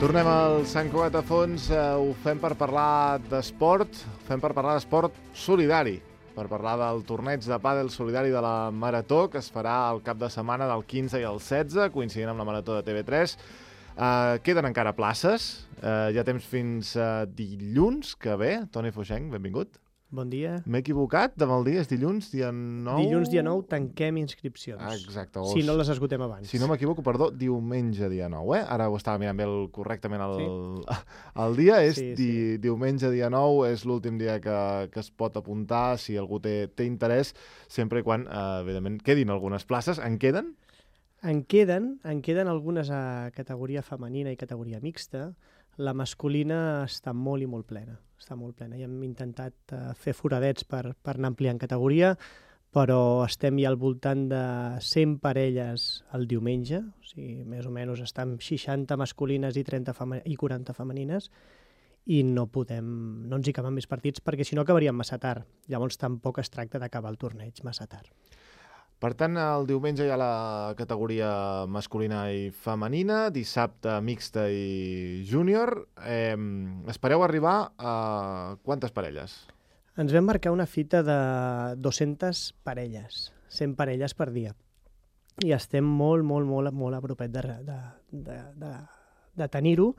Tornem al Sant Cugat a fons, ho fem per parlar d'esport, solidari, per parlar del torneig de pàdel solidari de la Marató, que es farà el cap de setmana del 15 i el 16, coincidint amb la Marató de TV3. Queden encara places, hi ha temps fins dilluns que ve. Toni Fuixenc, benvingut. Bon dia. M'he equivocat amb el dia, és dilluns, dia 9? Dilluns, dia 9, tanquem inscripcions. Exacte. Si no les esgotem abans. Si no m'equivoco, perdó, diumenge, dia 9, Ara ho estava mirant bé correctament el dia. És diumenge, dia 9, és l'últim dia que es pot apuntar, si algú té interès, sempre i quan, evidentment, quedin algunes places. En queden? En queden algunes a categoria femenina i categoria mixta. La masculina està molt i molt plena. I hem intentat fer foradets per anar ampliant categoria, però estem ja al voltant de 100 parelles el diumenge, o sigui, més o menys estem 60 masculines i 40 femenines, i no ens hi caben més partits, perquè si no acabaríem massa tard. Llavors tampoc es tracta d'acabar el torneig massa tard. Per tant, el diumenge hi ha la categoria masculina i femenina, dissabte mixta i júnior. Espereu arribar a quantes parelles? Ens vam marcar una fita de 200 parelles, 100 parelles per dia. I estem molt a propet de tenir-ho.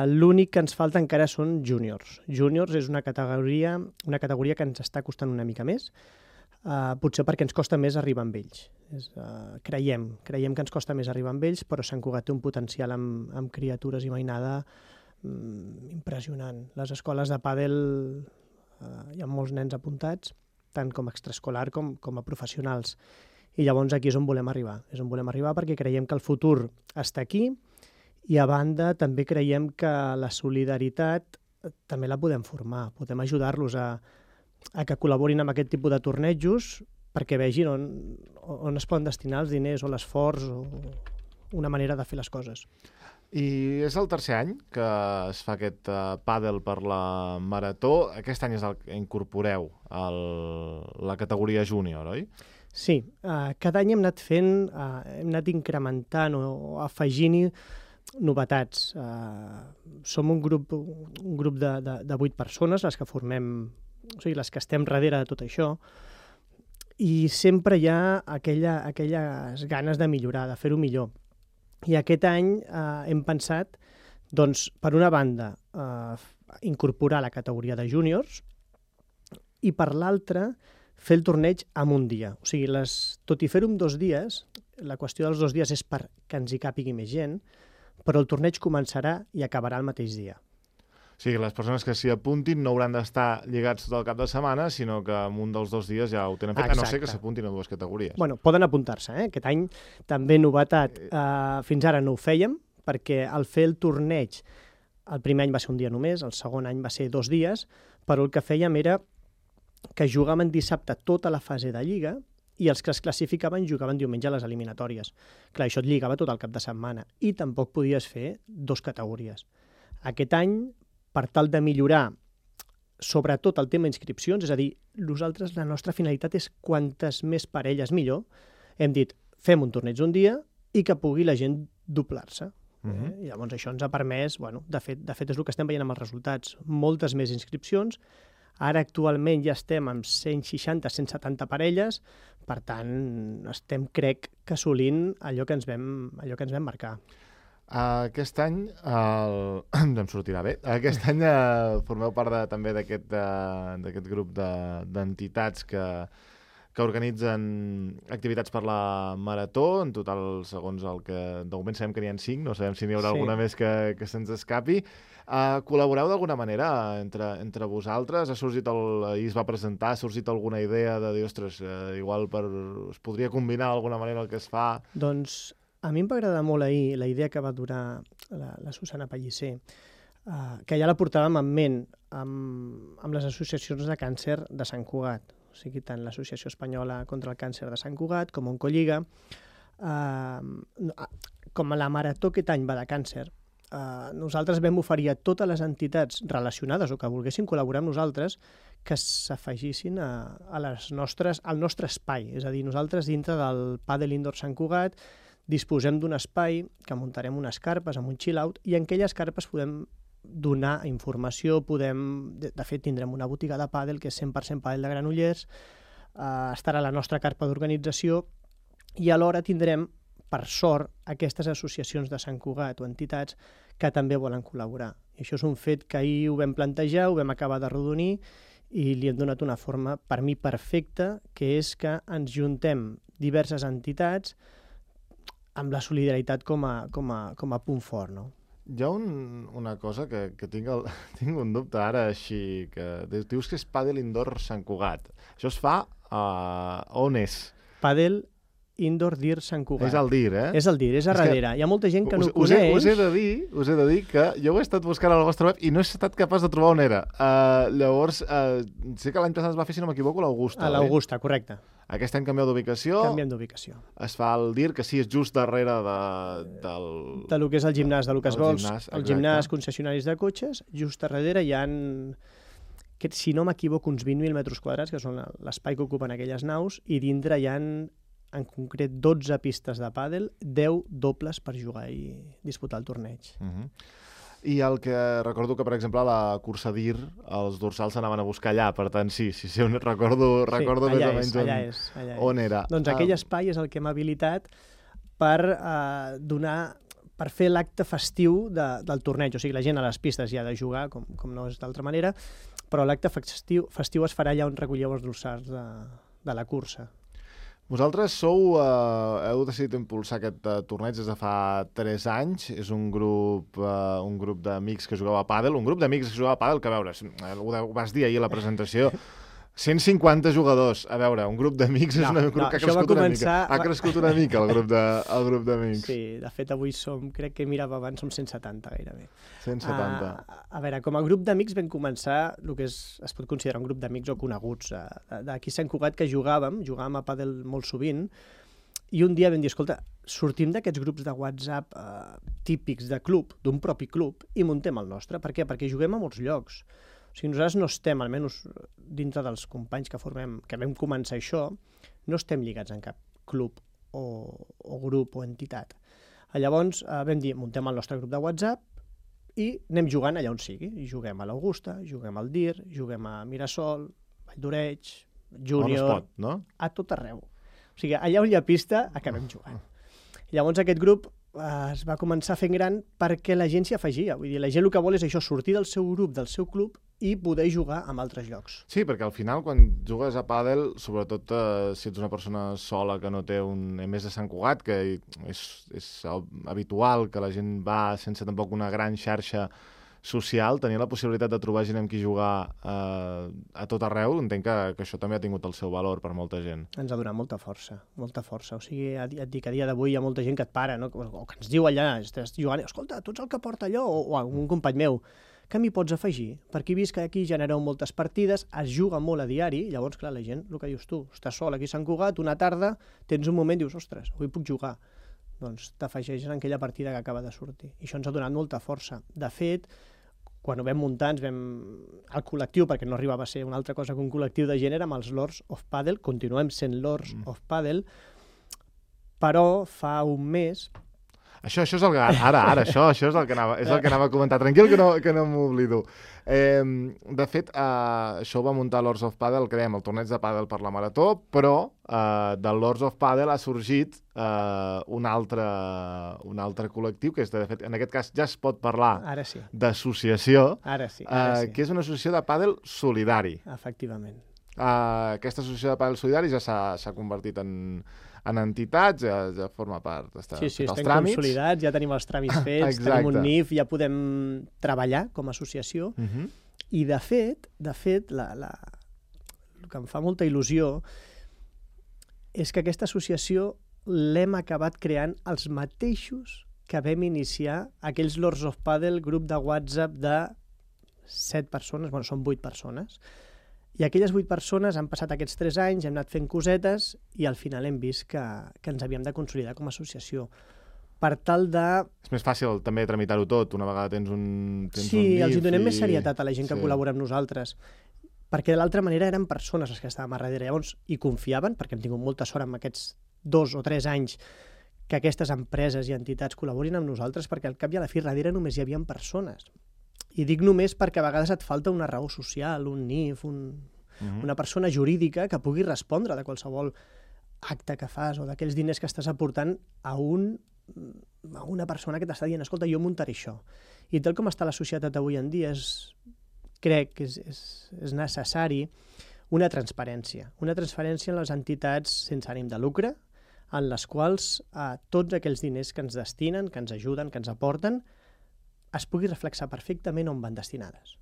L'únic que ens falta encara són júniors. Júniors és una categoria que ens està costant una mica més, potser perquè ens costa més arribar amb ells. Creiem que ens costa més arribar amb ells, però Sant Cugat té un potencial amb criatures i mainada impressionant. Les escoles de pàdel hi ha molts nens apuntats, tant com a extraescolar com a professionals. I llavors aquí és on volem arribar. Perquè creiem que el futur està aquí, i a banda també creiem que la solidaritat també la podem formar, podem ajudar-los a que col·laborin amb aquest tipus de tornejos perquè vegin on es poden destinar els diners o l'esforç o una manera de fer les coses. I és el tercer any que es fa aquest pàdel per la Marató. Aquest any és el que incorporeu la categoria júnior, oi? Sí, cada any hem anat incrementant o afegint-hi novetats. Som un grup de 8 persones, les que formem, o sigui, les que estem darrere de tot això, i sempre hi ha aquelles ganes de millorar, de fer-ho millor. I aquest any hem pensat, doncs, per una banda, incorporar la categoria de júniors i per l'altra, fer el torneig en un dia. O sigui, tot i fer-ho en 2 dies, la qüestió dels 2 dies és perquè ens hi càpigui més gent, però el torneig començarà i acabarà el mateix dia. O sigui, les persones que s'hi apuntin no hauran d'estar lligats tot el cap de setmana, sinó que en un dels 2 dies ja ho tenen fet, a no ser que s'apuntin a 2 categories. Bueno, poden apuntar-se, Aquest any també novetat. Fins ara no ho fèiem, perquè al fer el torneig, el primer any va ser un dia només, el segon any va ser 2 dies, però el que fèiem era que jugàvem dissabte tota la fase de lliga i els que es classificaven jugaven diumenge a les eliminatòries. Clar, això et lligava tot el cap de setmana i tampoc podies fer 2 categories. Aquest any, per tal de millorar sobretot el tema inscripcions, és a dir, nosaltres la nostra finalitat és quantes més parelles millor, hem dit, fem un torneig un dia i que pugui la gent doblar-se. I llavors això ens ha permès, de fet és el que estem veient amb els resultats, moltes més inscripcions. Ara actualment ja estem amb 160-170 parelles, per tant estem, crec, que assolint allò que ens vam marcar. Aquest any, em sortirà bé, aquest any formeu part també d'aquest grup d'entitats que organitzen activitats per la Marató, en total, segons el que de moment sabem que n'hi ha 5, no sabem si n'hi haurà alguna més que se'ns escapi. Col·laboreu d'alguna manera entre vosaltres? Ahir es va presentar, ha sorgit alguna idea de dir, ostres, igual es podria combinar d'alguna manera el que es fa? Doncs a mi em va agradar molt ahir la idea que va donar la Susana Pellicer, que ja la portàvem en ment amb les associacions de càncer de Sant Cugat, o sigui, tant l'Associació Espanyola contra el Càncer de Sant Cugat com Oncolliga. Com a la Marató aquest any va de càncer, nosaltres vam oferir a totes les entitats relacionades o que volguessin col·laborar amb nosaltres que s'afegissin al nostre espai. És a dir, nosaltres dintre del Pàdel Indoor Sant Cugat disposem d'un espai que muntarem unes carpes amb un chill-out i en aquelles carpes podem donar informació, de fet tindrem una botiga de pàdel que és 100% pàdel de Granollers, estarà la nostra carpa d'organització i alhora tindrem, per sort, aquestes associacions de Sant Cugat o entitats que també volen col·laborar. I això és un fet que ahir ho vam plantejar, ho vam acabar de rodonir i li hem donat una forma, per mi, perfecta, que és que ens juntem diverses entitats amb la solidaritat com a punt fort, no? Hi ha una cosa que tinc un dubte ara així, que dius que és pàdel indoor Sant Cugat. Això es fa on és? Pàdel Indoor Dir Sant Cugat. És el Dir, eh? És el Dir, és a darrere. Hi ha molta gent que no ho coneix. Us he de dir que jo ho he estat buscant a la vostra web i no he estat capaç de trobar on era. Llavors, sé que l'any passat es va fer, si no m'equivoco, a l'Augusta. A l'Augusta, correcte. Aquest any canvieu d'ubicació. Canviem d'ubicació. Es fa el Dir, que sí, és just darrere del... De lo que és el gimnàs de Lucas Bols, el gimnàs concessionaris de cotxes, just a darrere hi ha, si no m'equivoco, uns 20.000 metres quadrats, que són l'espai que ocupen aquelles naus, i dintre hi ha en concret 12 pistes de pàdel, 10 dobles per jugar i disputar el torneig. I el que recordo que, per exemple, a la cursa DIR, els dorsals s'anaven a buscar allà, per tant, sí, recordo més o menys on era. Doncs aquell espai és el que hem habilitat per fer l'acte festiu del torneig. O sigui, la gent a les pistes ja ha de jugar, com no és d'altra manera, però l'acte festiu es farà allà on recolleu els dorsals de la cursa. Vosaltres heu decidit impulsar aquest torneig des de fa 3 anys. És un grup d'amics que jugava a pàdel. Un grup d'amics que jugava a pàdel que, a veure, ho vas dir ahir a la presentació, 150 jugadors. A veure, un grup d'amics és un grup que ha crescut una mica. Ha crescut una mica el grup d'amics. Sí, de fet avui crec que mirava abans, som 170 gairebé. 170. A veure, com a grup d'amics vam començar el que es pot considerar un grup d'amics o coneguts d'aquí Sant Cugat que jugàvem a pàdel molt sovint, i un dia vam dir, escolta, sortim d'aquests grups de WhatsApp típics de club, d'un propi club, i muntem el nostre. Per què? Perquè juguem a molts llocs. O sigui, nosaltres no estem, almenys dintre dels companys que vam començar això, no estem lligats en cap club o grup o entitat. Llavors vam dir, muntem el nostre grup de WhatsApp i anem jugant allà on sigui. I juguem a l'Augusta, juguem al Dir, juguem a Mirasol, Vall d'Oreig, Júnior... On es pot, no? A tot arreu. O sigui, allà on hi ha pista, acabem jugant. Llavors aquest grup es va començar fent gran perquè la gent s'hi afegia. Vull dir, la gent el que vol és això, sortir del seu grup, del seu club, i poder jugar en altres llocs. Sí, perquè al final, quan jugues a pàdel, sobretot si ets una persona sola que no té més de Sant Cugat, que és habitual que la gent va sense tampoc una gran xarxa social, tenir la possibilitat de trobar gent amb qui jugar a tot arreu, entenc que això també ha tingut el seu valor per molta gent. Ens ha donat molta força. O sigui, et dic, a dia d'avui hi ha molta gent que et para, no? O que ens diu allà, estàs jugant, escolta, tu ets el que porta allò, o un company meu, que m'hi pots afegir? Perquè he vist que aquí genereu moltes partides, es juga molt a diari, llavors, clar, la gent, el que dius tu, estàs sol aquí a Sant Cugat, una tarda, tens un moment i dius, ostres, avui puc jugar. Doncs t'afegeixes en aquella partida que acaba de sortir. I això ens ha donat molta força. De fet, quan ho vam muntar, el col·lectiu, perquè no arribava a ser una altra cosa que un col·lectiu de gent, érem els Lords of Pàdel, continuem sent Lords of Pàdel, però fa un mes... Això és el que... Ara, això és el que anava a comentar. Tranquil, que no m'oblido. De fet, això ho va muntar Lords of Pàdel, que dèiem, el torneig de pàdel per la Marató, però del Lords of Pàdel ha sorgit un altre col·lectiu, que és, de fet, en aquest cas ja es pot parlar d'associació, que és una associació de pàdel solidari. Efectivament. Aquesta associació de pàdel solidari ja s'ha convertit en entitats, ja forma part dels tràmits. Sí, estem consolidats, ja tenim els tràmits fets, tenim un NIF, ja podem treballar com a associació. I, de fet, el que em fa molta il·lusió és que aquesta associació l'hem acabat creant els mateixos que vam iniciar aquells Lords of Pàdel, grup de WhatsApp de 7 persones, bueno, són 8 persones, i aquelles 8 persones han passat aquests 3 anys, hem anat fent cosetes i al final hem vist que ens havíem de consolidar com a associació. Per tal de... És més fàcil també tramitar-ho tot, una vegada tens un NIF. Sí, els hi donem més serietat a la gent que col·labora amb nosaltres, perquè de l'altra manera eren persones les que estàvem a darrere, llavors hi confiaven, perquè hem tingut molta sort amb aquests 2 o 3 anys que aquestes empreses i entitats col·laborin amb nosaltres, perquè al cap i a la fi darrere només hi havia persones. I dic només perquè a vegades et falta una raó social, un NIF, una persona jurídica que pugui respondre de qualsevol acte que fas o d'aquells diners que estàs aportant a una persona que t'està dient escolta, jo muntaré això. I tal com està la societat avui en dia, crec que és necessari una transparència en les entitats sense ànim de lucre, en les quals tots aquells diners que ens destinen, que ens ajuden, que ens aporten, es pugui reflexar perfectament on van destinades.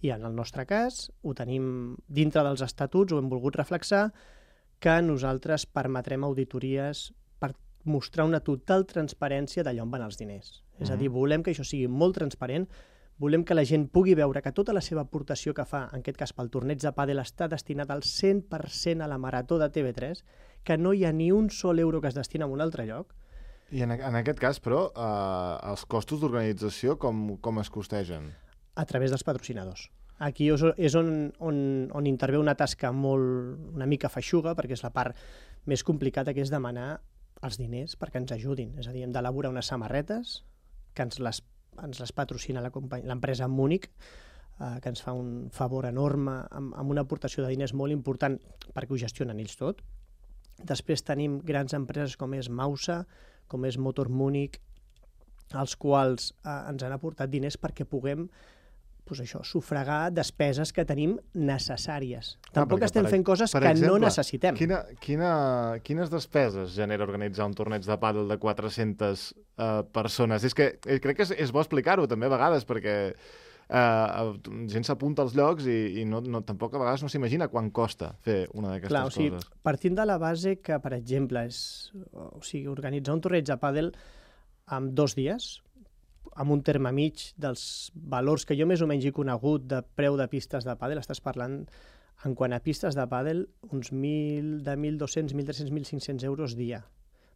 I en el nostre cas, ho tenim dintre dels estatuts, ho hem volgut reflexar, que nosaltres permetrem auditories per mostrar una total transparència d'allà on van els diners. És a dir, volem que això sigui molt transparent, volem que la gent pugui veure que tota la seva aportació que fa, en aquest cas pel torneig de pàdel, està destinat al 100% a la Marató de TV3, que no hi ha ni un sol euro que es destina a un altre lloc. I en aquest cas, però, els costos d'organització com es costegen? A través dels patrocinadors. Aquí és on intervé una tasca una mica feixuga, perquè és la part més complicada, que és demanar els diners perquè ens ajudin. És a dir, hem d'elaborar unes samarretes que ens les patrocina l'empresa Múnich, que ens fa un favor enorme amb una aportació de diners molt important perquè ho gestionen ells tot. Després tenim grans empreses com és Mausa, com és Motor Múnich, els quals ens han aportat diners perquè puguem sufragar despeses que tenim necessàries. Tampoc estem fent coses que no necessitem. Quines despeses genera organitzar un torneig de pàdel de 400 persones? És que crec que és bo explicar-ho també a vegades, perquè gent s'apunta als llocs i tampoc a vegades no s'imagina quan costa fer una d'aquestes coses. Partint de la base que, per exemple, organitzar un torneig de pàdel en 2 dies, amb un terme mig dels valors que jo més o menys he conegut de preu de pistes de pàdel, estàs parlant, en quant a pistes de pàdel, uns 1.200, 1.300, 1.500 euros dia.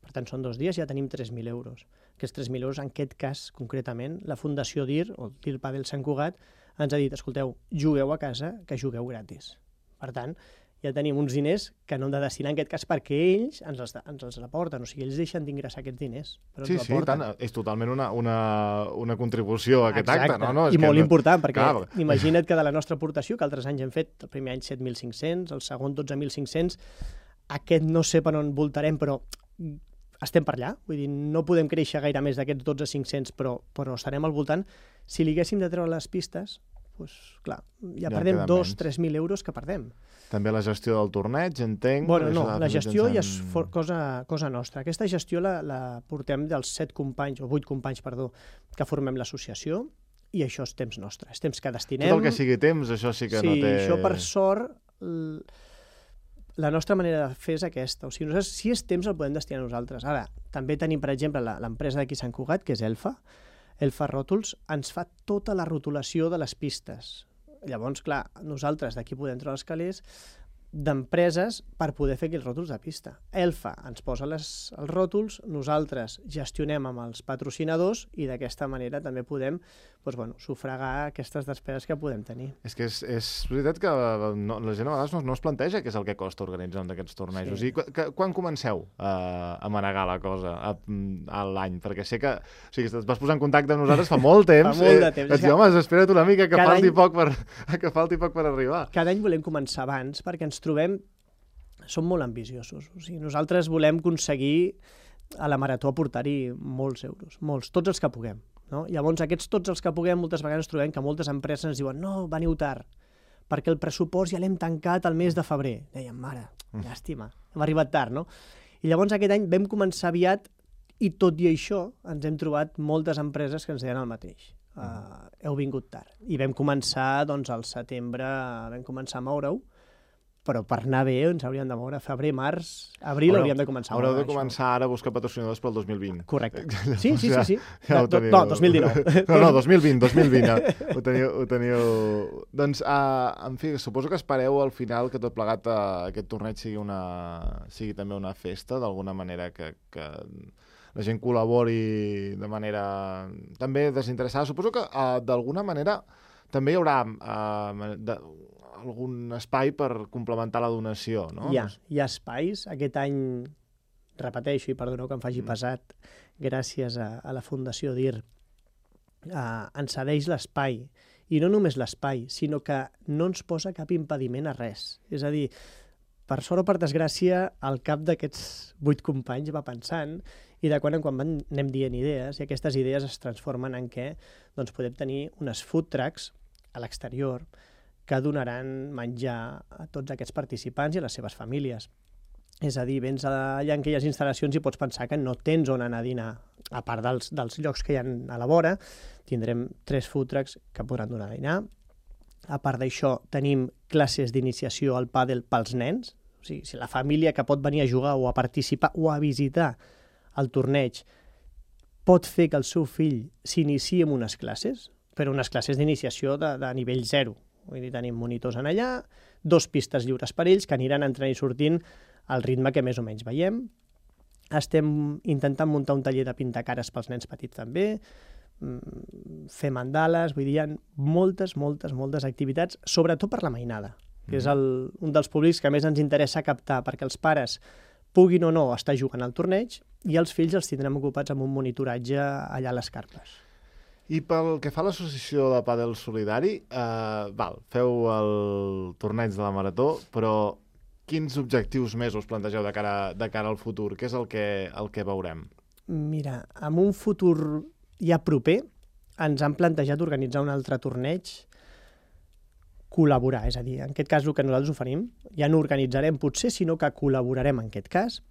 Per tant, són 2 dies i ja tenim 3.000 euros. Aquests 3.000 euros, en aquest cas, concretament, la Fundació DIR, o DIR Pàdel Sant Cugat, ens ha dit, escolteu, jugueu a casa, que jugueu gratis. Per tant, ja tenim uns diners que no hem de destinar en aquest cas perquè ells ens els aporten, o sigui, ells deixen d'ingressar aquests diners, però ens ho aporten. Sí, és totalment una contribució a aquest acte. No? I molt important, perquè imagina't que de la nostra aportació, que altres anys hem fet, el primer any 7.500, el segon 12.500, aquest no sé per on voltarem, però estem per allà, vull dir, no podem créixer gaire més d'aquests 12.500, però estarem al voltant. Si li haguéssim de treure les pistes, doncs, clar, ja perdem 2-3.000 euros que perdem. També la gestió del torneig, entenc? Bueno, no, la gestió ja és cosa nostra. Aquesta gestió la portem dels 7 companys, o 8 companys, perdó, que formem l'associació, i això és temps nostre, és temps que destinem. Tot el que sigui temps, això sí que no té... Sí, això per sort, la nostra manera de fer és aquesta. O sigui, nosaltres, si és temps, el podem destinar a nosaltres. Ara, també tenim, per exemple, l'empresa d'aquí Sant Cugat, que és Elfa Ròtols, ens fa tota la rotulació de les pistes. Llavors, clar, nosaltres d'aquí podem treure els calés d'empreses per poder fer aquells ròtols de pista. Elfa ens posa els ròtols, nosaltres gestionem amb els patrocinadors i d'aquesta manera també podem sufragar aquestes despeses que podem tenir. És que és veritat que la gent a vegades no es planteja què és el que costa organitzar un d'aquests tornejos. Sí. Quan comenceu a manegar la cosa a l'any? Perquè sé que et vas posar en contacte amb nosaltres fa molt temps. Fa molt de temps. Vaig dir, home, espera't una mica que falti poc per arribar. Cada any volem començar abans perquè ens trobem, som molt ambiciosos. O sigui, nosaltres volem aconseguir a la Marató aportar-hi molts euros, molts, tots els que puguem. No? Llavors, tots els que puguem, moltes vegades ens trobem que moltes empreses ens diuen no, veniu tard, perquè el pressupost ja l'hem tancat al mes de febrer. Dèiem, mare, llàstima, hem arribat tard, no? I llavors aquest any vam començar aviat i tot i això ens hem trobat moltes empreses que ens deien el mateix. Heu vingut tard. I vam començar, doncs, al setembre, vam començar a moure-ho, però per anar bé ens hauríem de moure febrer, març, abril, hauríem de començar a moure. Haureu de començar ara a buscar patrocinadors pel 2020. Correcte. Sí. Ja ho teniu. No, 2019. No, 2020. Ho teniu... Doncs, en fi, suposo que espereu al final que tot plegat aquest torneig sigui també una festa, d'alguna manera que la gent col·labori de manera també desinteressada. Suposo que d'alguna manera també hi haurà algun espai per complementar la donació, no? Hi ha espais. Aquest any repeteixo, i perdoneu que em faci pesat, gràcies a la Fundació DIR, ens cedeix l'espai, i no només l'espai, sinó que no ens posa cap impediment a res. És a dir, per sort o per desgràcia, el cap d'aquests 8 companys va pensant i de quan en quan anem dient idees i aquestes idees es transformen en què doncs, podem tenir unes food trucks a l'exterior que donaran menjar a tots aquests participants i a les seves famílies. És a dir, vens allà en aquelles instal·lacions i pots pensar que no tens on anar a dinar. A part dels llocs que hi ha a la vora, tindrem 3 food trucks que podran donar a dinar. A part d'això, tenim classes d'iniciació al pàdel pels nens. O sigui, si la família que pot venir a jugar o a participar o a visitar el torneig pot fer que el seu fill s'iniciï en unes classes, però unes classes d'iniciació de nivell 0. Vull dir, tenim monitors en allà, 2 pistes lliures per ells que aniran entrant i sortint al ritme que més o menys veiem. Estem intentant muntar un taller de pintar cares pels nens petits també, fer mandales, vull dir, hi ha moltes activitats, sobretot per la mainada, que és un dels públics que més ens interessa captar, perquè els pares puguin o no estar jugant al torneig i els fills els tindrem ocupats amb un monitoratge allà a les carpes. I pel que fa a l'associació de pàdel solidari, feu el torneig de la Marató, però quins objectius més us plantegeu de cara al futur? Què és el que veurem? Mira, en un futur ja proper ens han plantejat organitzar un altre torneig, col·laborar, és a dir, en aquest cas el que nosaltres oferim, ja no organitzarem potser, sinó que col·laborarem en aquest cas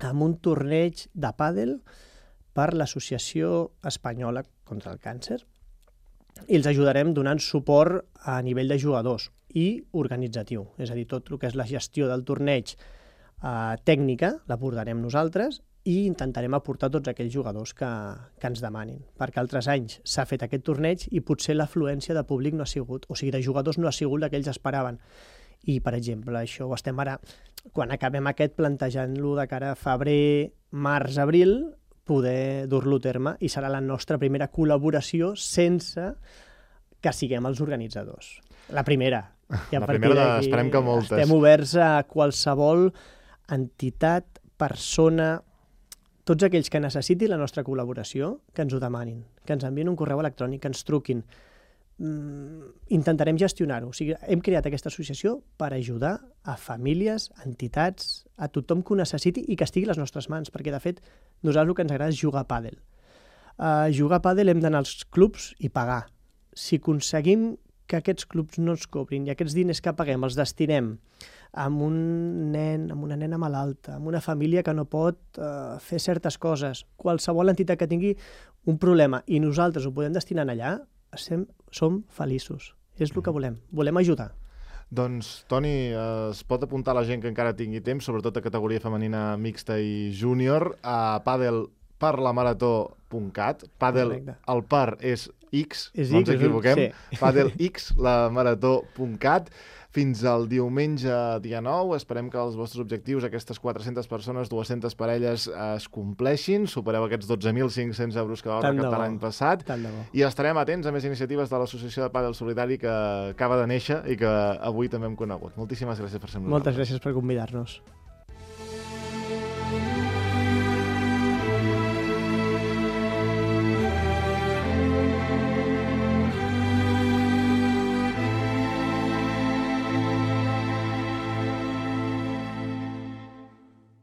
amb un torneig de pàdel per l'Associació Espanyola contra el Càncer i els ajudarem donant suport a nivell de jugadors i organitzatiu, és a dir, tot el que és la gestió del torneig tècnica l'abordarem nosaltres i intentarem aportar tots aquells jugadors que ens demanin, perquè altres anys s'ha fet aquest torneig i potser l'afluència de públic no ha sigut, o sigui, de jugadors no ha sigut la que ells esperaven. I, per exemple, això ho estem ara, quan acabem aquest, plantejant-lo de cara a febrer, març, abril, poder dur-lo a terme i serà la nostra primera col·laboració sense que siguem els organitzadors. La primera. I la primera, esperem que moltes. Estem oberts a qualsevol entitat, persona, tots aquells que necessitin la nostra col·laboració, que ens ho demanin, que ens envien un correu electrònic, que ens truquin. Intentarem gestionar-ho. O sigui, hem creat aquesta associació per ajudar a famílies, entitats, a tothom que ho necessiti i que estigui a les nostres mans, perquè, de fet, nosaltres el que ens agrada és jugar a pàdel. Jugar a pàdel hem d'anar als clubs i pagar. Si aconseguim que aquests clubs no ens cobrin i aquests diners que paguem els destinem amb un nen, amb una nena malalta, amb una família que no pot fer certes coses, qualsevol entitat que tingui un problema i nosaltres ho podem destinar allà, som feliços. És el que volem. Volem ajudar. Doncs, Toni, es pot apuntar la gent que encara tingui temps, sobretot a categoria femenina mixta i júnior, a padelparlamarató.cat. Padel, el par és X, no ens equivoquem. Sí. Padelxlamarató.cat. Fins al diumenge dia 9. Esperem que els vostres objectius, aquestes 400 persones, 200 parelles, es compleixin. Supereu aquests 12.500 euros que vau recaptar l'any passat. I estarem atents a més iniciatives de l'Associació de Pàdel Solidari que acaba de néixer i que avui també hem conegut. Moltíssimes gràcies per ser amb nosaltres. Moltes gràcies per convidar-nos.